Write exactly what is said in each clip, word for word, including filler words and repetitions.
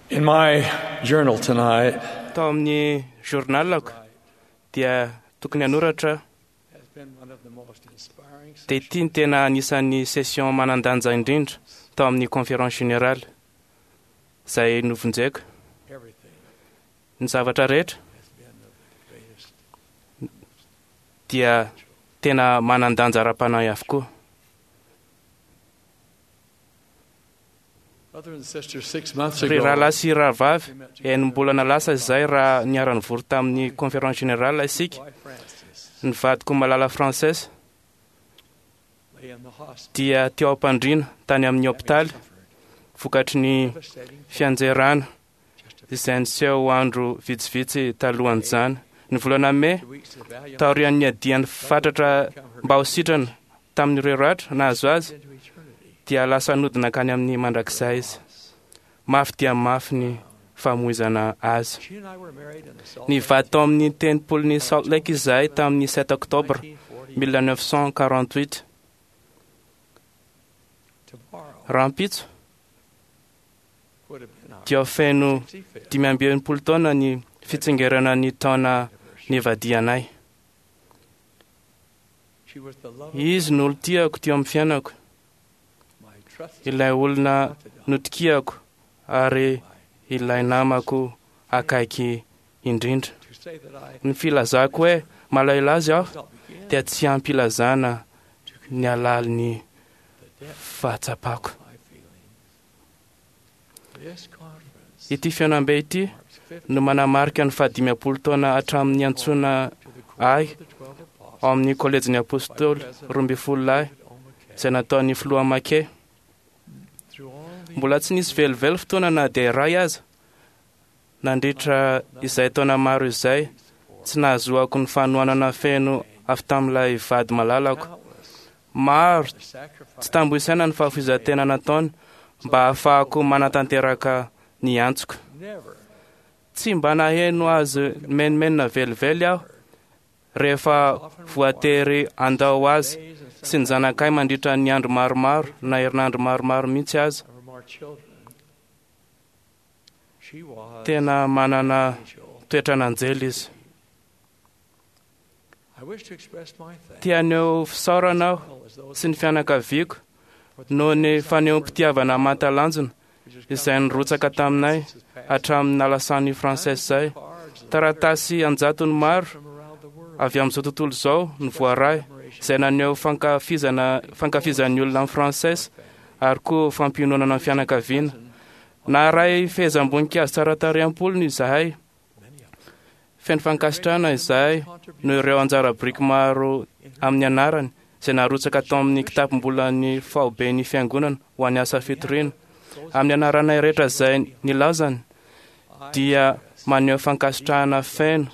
In my journal tonight Tao amin'ny journalako dia tokony hanoratra has been one of the most inspiring dia ity ny tena anisan'ny session manan-danja indrindra tao amin'ny conférence générale izay novonjeko. Everything Ny zavatra rehetra has been of the greatest dia tena manan-danja ara-panahy avokoa. Brother and sister, six months Ry ago, rahalahy sy rahavavy, we met together enim-bolana lasa izay raha niara-nivory tamin'ny conférence générale isika, wife Frances ny vadiko malala Frances lay in the hospital dia teo am-pandriana tany amin'ny hopitaly suffered vokatry ny devastating fianjerana just a izay niseho andro vitsivitsy talohan'izany. Ny volana mey, few weeks of valiant taorian'ny adiany fatratra mba ho sitrana tamin'ireo ratra nahazo azy, into eternity. dia lasa nodina hankany amin'ny mandrakizay izy. Mafy dia mafy ny famoizana azy. She and I were married in the Salt Ny Lake vady tao amin'ny tempolin'ny Salt Lake izahay tamin'ny sept octobre nineteen forty mille neuf cent quarante-huit. Tomorrow Rahampitso would have been our dia feno sixty-fifth dimy amby enimpolo taona ny fitsingerana ny taona nivadianay. She was the love of Izy no olon-tiako teo amin'ny fiainako, my trusted ilay olona confidant, notokiako ary my- ilay namako akaiky indrindra. To say that I Ny filazako hoe malahelo azy aho does not begin dia tsy ampilazana to ny alalin'ny the depth fahatsapako. of my feelings. This conference Ity fihaonambe ity marks fifty no manamarika ny fahadimampolo taona hatramin'ny antsoina to the quorum ahy of the twelve apostles ao amin'ny kolejin'ny apôstôly roa ambin'ny folo lahy David O. McKay. izay nataon'ny filoha Make. Through all the Mbola tsy nisy velively fotoana na dia iray aza nandritra izay taona maro izay tsy nahazoako ny fanohanana feno avy tamin'ilay vady malalako. countless Maro the sacrifice tsy tambo isaina ny fahafoizan-tena nataony mba hahafahako manatanteraka ny antsoko. never Tsy mba naheno azy menomenona velively aho rehefa voatery handao azy days and sy ny zanakay mandritra ny andro maromaro na herinandro maromaro mihitsy aza. of our children. She was Tena manana an angel. toetran'anjely izy. I wish to express my thanks Te haneho fisaorana aho as well as those sy ny fianakaviako for the noho ny fanehoam-pitiavana mahatalanjona which has come izay nirotsaka taminay since his passing. hatramin'ny nalasan'ny Frances izay. Cards and Taratasy anjatony maro from around the world. avy amin'izao tontolo izao ny voaray izay naneho fankafizana fankafizan'ny olona amin'ny Frances ary koa fampiononana ny fianakaviana. Naharay fehezam-boninkazo tsara tarehy am-polony izahay. Many of them. Feno fankasitrahana izahay noho ireo anjara biriky maro amin'ny anarany izay narotsaka tao amin'ny kitapom-bolan'ny fahoben'ny fiangonana ho an'ny asa fitoriana. Amin'ny anaranay rehetra izay nilazany I dia maneho fankasitrahana feno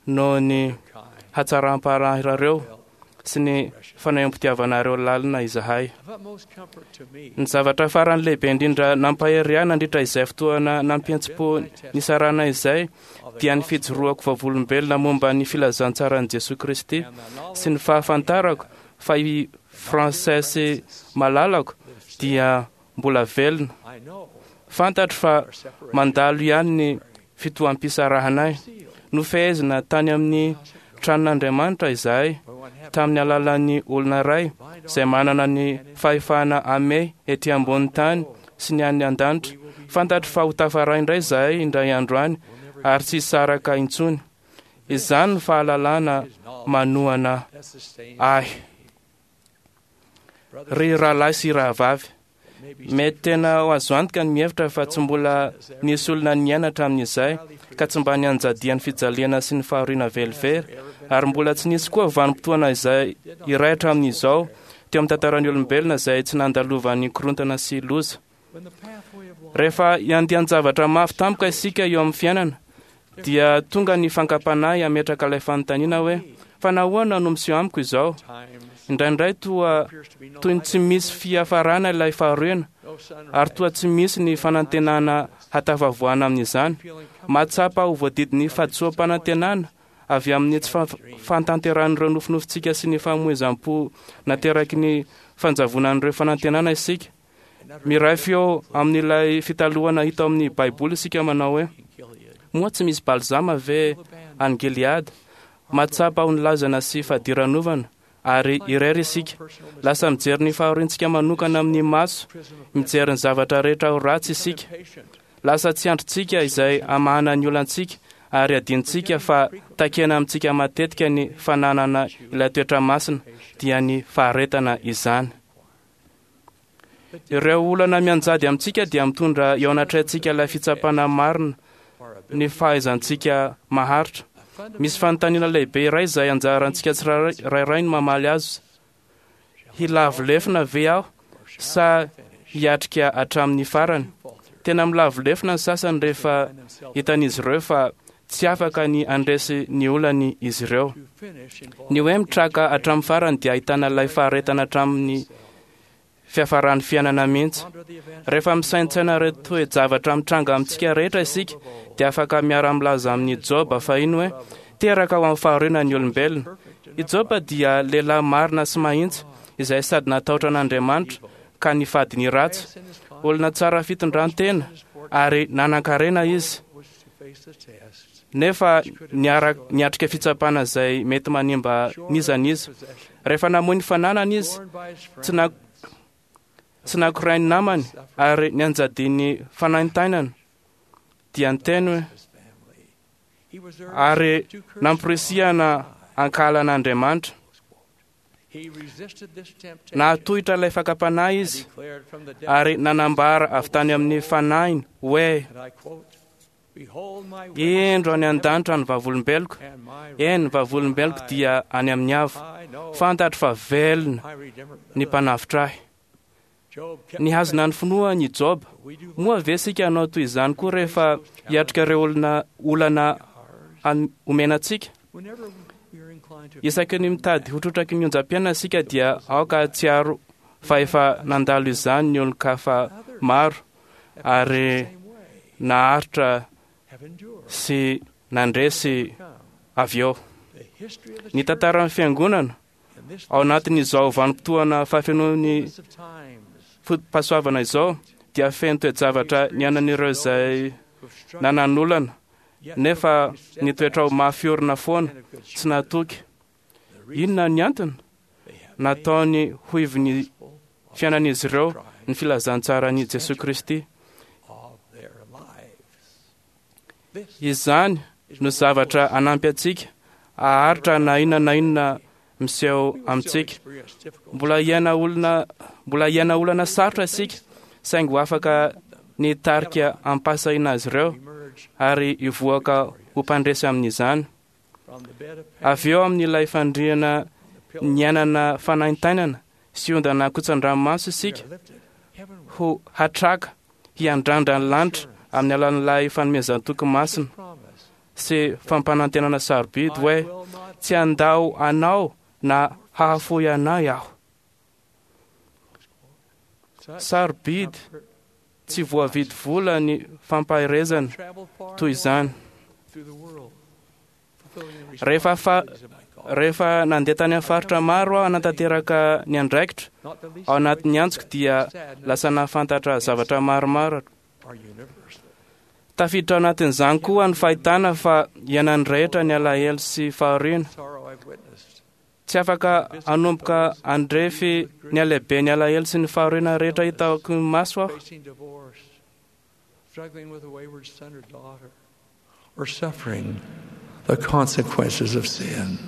noho ny kind hatsaram-paranareo felt sy ny fanehoam-pitiavanareo lalina izahay. Of utmost comfort to me Ny zavatra farany lehibe indrindra nampahery ahy nandritra izay fotoana nampiantsim-po nisarana izay of the dia ny gospel fijoroako vavolombelona momba ny filazantsaran'i Jesoa Kristy and the knowledge sy ny fahafantarako fa i Frances malalako dia mbola velona. I know Fantatro fa our separation mandalo ihany ny fitoham-pisarahanay. sealed Nofehezina tany amin'ny house of God. tranon'Andriamanitra izahay For one heaven tamin'ny alalan'ny olona iray bind izay manana ny fahefana ame ety ambony tany sy ny any an-danitra. we will be Fantatro fa ho tafaray indray izahay indray andro any will never ary tsy hisaraka intsony. Izany no fahalalana his knowledge manohana that sustains ahy. Brothers Ry rahalahy sy rahavavy, may be mety tena ho azo antoka ny mihevitra fa tsy mbola nisy olona niaina hatramin'izay ka tsy mba nianjadian'ny fijaliana sy ny fahoriana velively ary mbola tsy nisy koa vanim-potoana izay iray hatramin'izao teo amin'ny tantaran'ny olombelona izay tsy nandalovan'ny korontana sy loza. when the pathway of life Rehefa iandian-javatra mafy tampoka isika eo amin'ny fiainana dia tonga ny fankam-panahy hametraka ilay fanontaniana hoe fa nahoana no miseho amiko izao? times Indraindray toa appears to be no toy ny tsy misy fiafarana ilay fahoriana no sunrise ary toa tsy misy ny fanantenana hatafavoahana amin'izany. feeling comfort Mahatsapa ho voadidin'ny fahadisoam-panantenana avy amin'ny tsy fa- fahatanterahan'ireo nofinofintsika sy ny famoizam-po nateraky ny fanjavonan'ireo fanantenana isika. Miray feo amin'ilay fitalohana hita amin'ny Baiboly isika manao hoe moa tsy misy balzama ve any Gileada? Mahatsapa ho nilazana sy fadiranovana ary irery isika. Lasa mijery ny fahoriantsika manokana amin'ny maso, mijery ny zavatra rehetra ho ratsy isika. Lasa tsy andrintsika izay hamahana ny olantsika ary adinontsika fa takena amintsika matetika ny fananana ilay toetra masina, dia ny faharetana izany. Ireo olana mianjady amintsika dia mitondra eo anatrehantsika ilay fitsapana marina ny fahaizantsika maharitra. Misy fanontaniana lehibe iray izay anjarantsika tsirairay ny mamaly azy. Hilavo lefona ve aho sa hiatrika hatramin'ny farany? Tena milavo lefona ny sasany rehefa hitan'izy ireo fa tsy afaka ny handresy ny olany izy ireo. Ny hoe mitraka hatramin'ny farany dia ahitana ilay faharetana hatramin'ny fiafaran'ny fiainana mihitsy. Rehefa misaintsaina ireo toe-javatra mitranga amintsika rehetra isika dia afaka miara-milaza amin'ny Joba fahiny hoe teraka ho amin'ny fahoriana ny olombelona. I Joba dia lehilahy marina sy mahitsy izay sady natahotra an'Andriamanitra ka nifady ny ratsy. Olona tsara fitondran-tena ary nanan-karena izy, nefa niara- niatrika fitsapana izay mety manimba n'iza n'iza. Rehefa namoy ny fananany izy, tsy na tsy nakorain'ny namany ary nianjadian'ny fanaintainana, dia niteny hoe ary namporisihana hankahala an'Andriamanitra. Nahatohitra ilay fakam-panahy izy ary nanambara avy tany amin'ny fanahiny hoe indro any an-danitra ny vavolombeloko, eny vavolombeloko dia any amin'ny avo. Fantatro fa velona ny mpanavotra ahy. Nihazona ny finoany i Joba. Moa ve isika hanao toy izany koa rehefa hiatrika ireo olona olana omena antsika? Isaky ny mitady ho trotraky ny onjam-piainana isika dia aoka hahatsiaro fa efa nandalo izany ny olon-kafa maro ary naharitra sy nandresy avy eo. Ny tantaran'ny fiangonana ao anatin'izao vanim-potoana fahafenoan'ny foto-pahasoavana izao dia feno toe-javatra niainan'ireo izay nanan'olana nefa nitoetra ho mafy orina foana tsy natoky. Inona ny antony? Nataony ho ivon'ny fiainan'izy ireo ny filazantsaran'i Jesoa Kristy. Izany no zavatra hanampy antsika haharitra na inona na inona miseho amintsika. Mbola hiaina olona mbola hiaina olana sarotra isika, saingy ho afaka ny hitarika hampahasahiana azy ireo ary hivoaka ho mpandresy amin'izany. Avy eo amin'ilay fandriana niainana fanaintainana sy ondana kotsan-dranomaso isika ho hatraka hiandrandra ny lanitra amin'ny alalan'ilay fanomezan-toky masina sy fampanantenana sarobidy hoe tsy handao anao na hahafoy anay aho. Sarobidy tsy voavidy vola ny fampaherezana toy izany. Rehefa fa rehefa nandeha tany amin'ny faritra maro aho nanatanteraka ny andraikitra ao anatin'ny antsoko dia lasa nahafantatra zavatra maromaro. Tafiditra ao anatin'izany koa ny fahitana fa iainan'ny rehetra ny alahelo sy fahoriana. Tsy afaka hanomboka handrefy ny halehiben'ny alahelo sy ny fahoriana rehetra hitako maso aho. Or suffering the consequences of sin.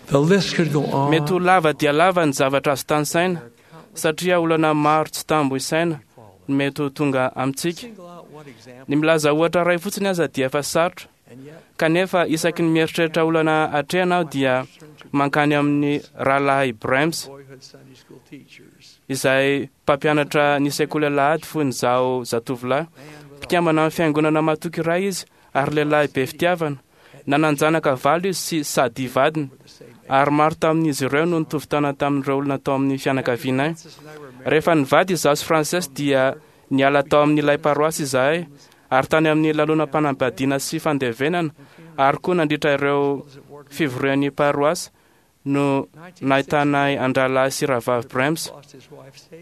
The list could go on. Mety ho lava dia lava ny zavatra azo tanisaina satria olana maro tsy tambo isaina no mety ho tonga amintsika. Ny milaza ohatra iray fotsiny aza dia efa sarotra, kanefa isaky ny mieritreritra olana atrehana aho dia mankany amin'ny rahalahy Brems izay mpampianatra ny sekoly alahady fony izaho zatovolahy. Mpikambana amin'ny fiangonana matoky iray izy ary lehilahy be fitiavana. Nanan-janaka valo izy sy sady vadiny, ary maro tamin'izy ireo no nitovy taona tamin'ireo olona tao amin'ny fianakavianay. Rehefa nivady izaho sy Frances dia niala tao amin'ilay paroasy izahay, ary tany amin'ny lalonam-panambadiana sy fandevenana, ary koa nandritra ireo fivorian'ny paroasy no nahitanay an-drahalahy sy rahavavy Brems.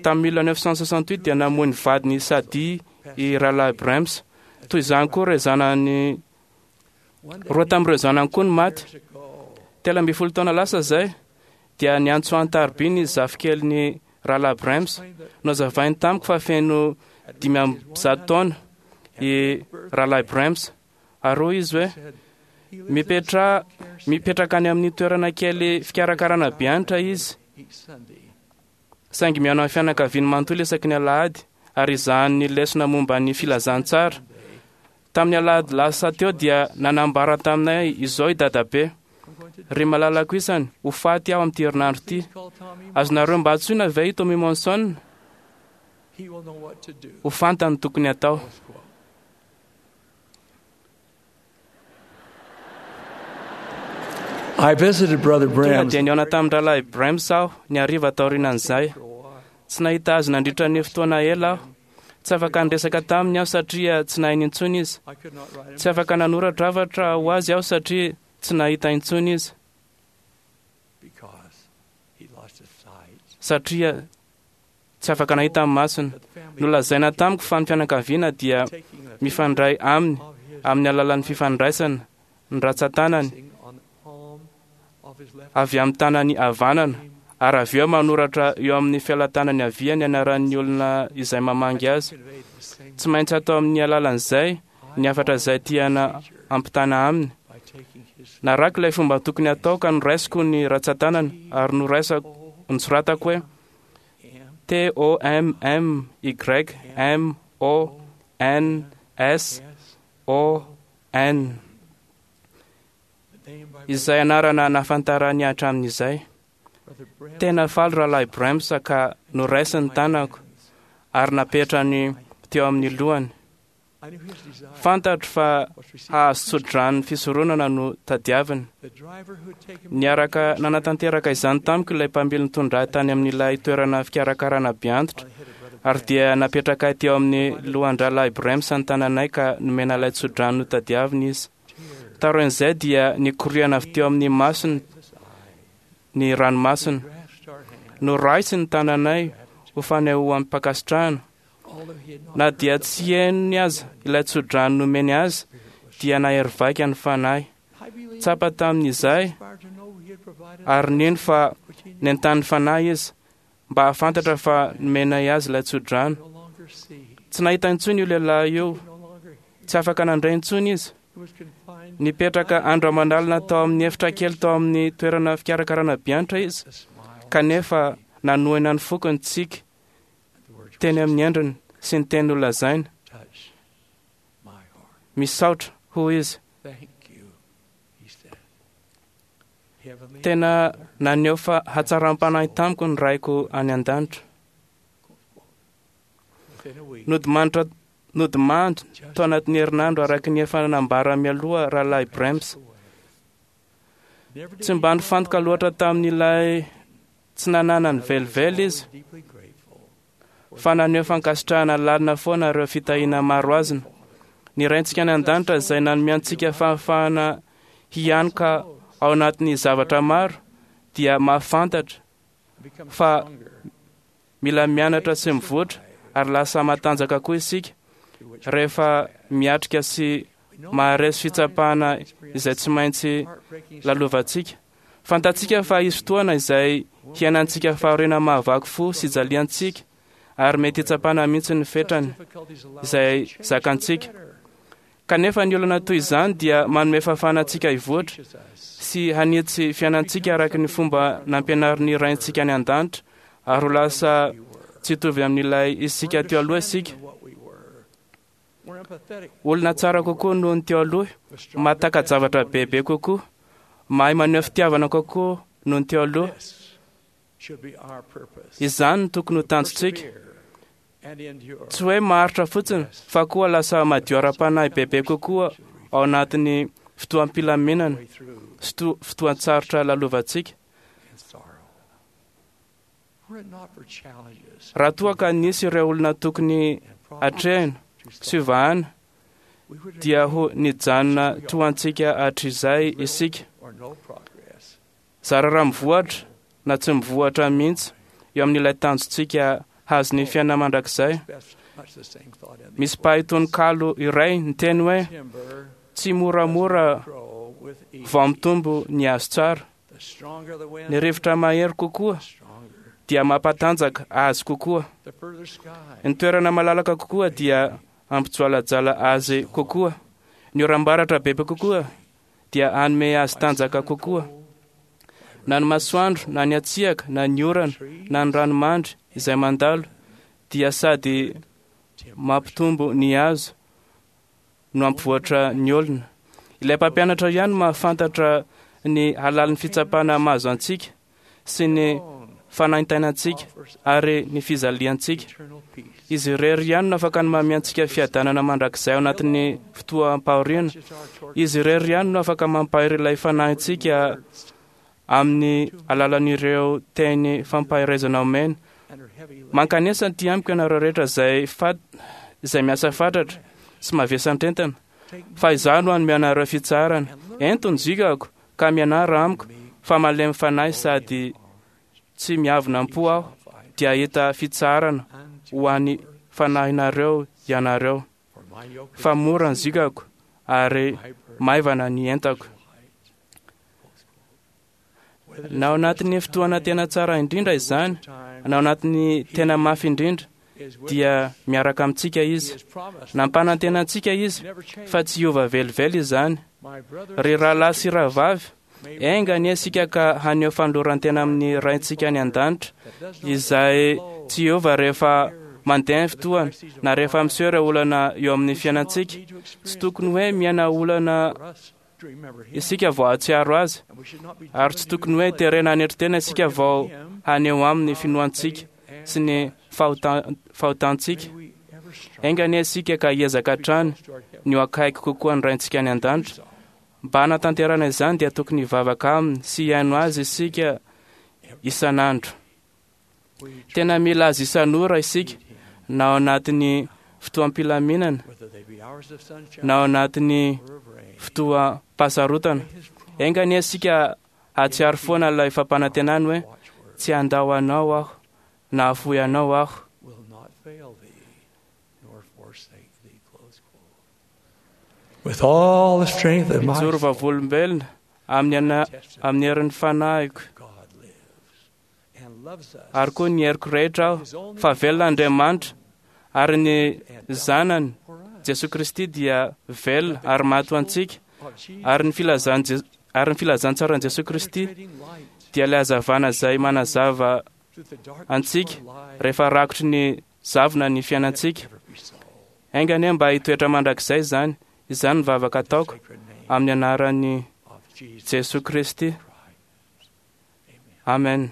Tamin'ny mille neuf cent soixante-huit dia namoy ny vadiny Sadi i rahalahy Brems. Toy izany koa ireo zanany roa tamin'ireo zanany koa no maty. Telo ambin'ny folo taona lasa izay dia niantso an-tariby ny zafikeliny rahalahy Brems. Nozavainy tamiko fa feno dimy amby zato taona i rahalahy Brems. Ary hoy izy hoe mipetra mipetraka any amin'ny toerana kely fikarakarana be antitra izy, saingy mihaino amin'ny fianakaviany manontolo isaky ny alahady ary izahany lesona momba ny filazantsara. Tamin'ny alahady lasa teo dia nanambara taminay izao i dadabe: ry malalako isany, ho faty aho amin'ity herinandro ity. Azonareo mba antsoina ve i Tommy Monson? Ho fantany tokony atao. I visited Brother Tonga Brems dia nihaona tamin'ny rahalahy Brems aho ny hariva taorianan'izay. Tsy nahita azy nandritra ny fotoana ela aho. Tsy afaka niresaka taminy aho satria tsy nahiny intsony izy. I could not write him. Tsy afaka nanoratra hafatra ho azy aho satria tsy nahita intsony izy, because he lost his sight. satria tsy afaka nahita amin'ny masony. But the family Nolazaina tamiko fa ny fianakaviana dia taking the mifandray aminy of his amin'ny alalan'ny fifandraisana ny ratsan-tanany placing on the palm of his left avy amin'ny tanany havanana, ary avy eo manoratra eo amin'ny fialan-tanany havia ny anaran'ny olona izay mamangy azy. conveyed the same Tsy maintsy atao amin'ny alalan'izay ny hafatra izay tiana ampitana aminy. by taking his Narako ilay fomba tokony atao ka noraisiko ny ratsan-tanana ary noraisako nosoratako hoe M T O M M Y M O N S S O N, the name by izay anarana nahafantarany hatramin'izay. Brother Brems Tena faly rahalahy Brems ka noraisiny ny tanako ary napetrany teo amin'ny lohany. I knew his desire Fantatro fa was to receive hahazo tso-drano fisoronana no tadiaviny. the driver who had taken Niaraka nanatanteraka izany tamiko ilay mpamily nitondra ahy tany amin'ilay toerana fikarakarana be antitra, on the head of Brother ary dia napetraka ahy teo amin'ny lohan-drahalahy Brems ny tananay ka nomena ilay tso-drano notadiaviny izy. tears Taorian'izay dia nikoriana avy teo amin'ny masony his eye ny ranomasina. grasped our hand Noraisiny ny tananay ho fanehoam-pankasitrahana. although he had not Na dia tsy henony aza ilay tso-drano nomeny azy, dia nahery vaika ny fanahy. I believe Tsapa tamin'izay inspired to know he had provided ary nino fa which he nentanin'ny fanahy izy mba hahafantatra fa nomenay azy ilay tso-drano. no longer see Tsy nahita intsony io lehilahy io, could no longer hear tsy afaka nandray intsony izy. he was confined Nipetraka andro aman'alina tao amin'ny efitra kely tao amin'ny toerana fikarakarana be antitra izy, the smile kanefa nanohina ny foko ny tsiky the words teny amin'ny endriny sy ny teny nolazainy. touched my heart Misaotra, hoy izy. thank you he said heavenly Tena naneho fa hatsaram-panahy tamiko ny raiko any an-danitra. within a week Nodimandra nodimandry just tao anatin'ny herinandro araka ny efa nambara mialoha rahalahy Brems. away never did Tsy he mba dwell nifantoka on loatra that. tamin'ilay tsy nananany Others velively always izy, deeply grateful for fa naneho fankasitrahana lalina foana ireo fitahiana maro azony. Ny Raintsika any an-danitra izay nanome antsika fahafahana hianoka ao anatin'ny zavatra maro dia mahafantatra become fa stronger mila mianatra sy mivoatra ary lasa matanjaka koa isika through which rehefa miatrika sy we know maharesy fitsapana izay tsy maintsy heartbreaking lalovantsika. Fantatsika fa hisy fotoana izay hiainantsika fahoriana mahavaky fo sy jaliantsika ary mety hitsapana mihitsy ny fetrany difficulties allow us izay to change for the zakantsika. better. Kanefa ny olana toy izany dia manome fahafahana antsika hivoatra Teaches us sy hanitsy fiainantsika araka ny fomba nampianarin'ny Raintsika any an-danitra ary ho lasa we were. tsy hitovy amin'ilay isika teo aloha isika. Understanding what we were. We're empathetic Olona tsara kokoa noho ny teo aloha, with stronger mahataka-javatra testimonies. bebe kokoa, mahay maneho fitiavana kokoa noho ny teo aloha. This should be our purpose. Izany no tokony ho tanjontsika. Persevere and endure. Tsy hoe maharitra fotsiny fa koa lasa madio ara-panahy bebe kokoa ao anatin'ny fotoam-pilaminana Way through sy to- fotoan-tsarotra lalovantsika. and sorrow. Were it not for challenges Raha toa ka nisy ireo olona tokony and problems atrehina to sy solve, vahana we would dia ho nijanona toa antsika hatrizay isika, or no progress. Zara raha mivoatra na tsy mivoatra mihitsy eo amin'ilay tanjontsika hazo ny fiainana mandrakizay. Misy mpahay tononkalo iray niteny hoe tsy moramora vao mitombo ny hazo tsara. Ny rivotra mahery kokoa dia mampatanjaka azy kokoa. Ny toerana malalaka kokoa dia ampijoalajala azy kokoa. Ny oram-baratra bebe kokoa dia hanome azy tanjaka kokoa. Na ny masoandro, na ny hatsiaka, na ny orana, na ny ranomandry izay mandalo dia sady mampitombo ny hazo no hampivoatra ny olona. Ilay mpampianatra ihany mahafantatra ny halalin'ny fitsapana mahazo antsika sy ny fanaintainantsika ary ny fijaliantsika. Izy irery ihany no afaka ny manome antsika fiadanana mandrakizay ao anatin'ny fotoam-pahoriana. Izy irery ihany no afaka mampahery ilay fanahintsika amin'ny alalan'ireo teny fampaherezana omena. Mankanesa aty amiko ianareo rehetra izay fat izay miasa fatratra sy mavesatra-entana, fa izaho no hanome anareo fitsaharana. Ento ny zikako ka mianara amiko, fa malemy fanahy sady tsy miavona am-po aho, dia hahita fitsaharana ho an'ny fanahinareo ianareo. Fa mora ny zikako ary maivana ny entako. Na ao anatin'ny fotoana tena tsara indrindra izany, na ao anatin'ny tena mafy indrindra, dia miaraka amintsika izy. Nampanantena antsika izy fa tsy hiova velively izany. Ry rahalahy sy rahavavy, enga anie isika ka haneho fanoloran-tena amin'ny Raintsika any an-danitra, izay tsy hiova rehefa mandeha ny fotoana na rehefa miseho ireo olana eo amin'ny fiainantsika. Tsy tokony hoe miaina olana isika vao hahatsiaro azy, ary tsy tokony hoe terena hanetry tena isika vao haneho aminy finoantsika sy ny fahotantsika. Enga anie isika ka hiezaka hatrany ny ho akaiky kokoa ny Raintsika any an-danitra. Mba hanatanterahana izany dia tokony hivavaka aminy sy hihaino azy isika isan'andro. Tena mila azy isan'ora isika, na ao anatin'ny fotoam-pilaminana, na ao anatin'ny fotoam-pahasarotana. Enga anie isika hahatsiaro foana ilay fampanantenany hoe tsy handao anao aho na hahafoy anao aho. Mijoro vavolombelona amin'ny amin'ny herin'ny fanahiko ary koa ny heriko rehetra aho fa velona Andriamanitra ary ny zanany Jesosy Kristy dia velona ary maty ho antsika, ary ny filazan ary ny filazantsaran'i Jesosy Kristy dia ilay hazavana izay manazava antsika rehefa rakotry ny zavona ny fiainantsika. Enga anie mba hitoetra mandrakizay izany. Izany ny vavaka ataoko amin'ny anaran'i Jesosy Kristy. Amen.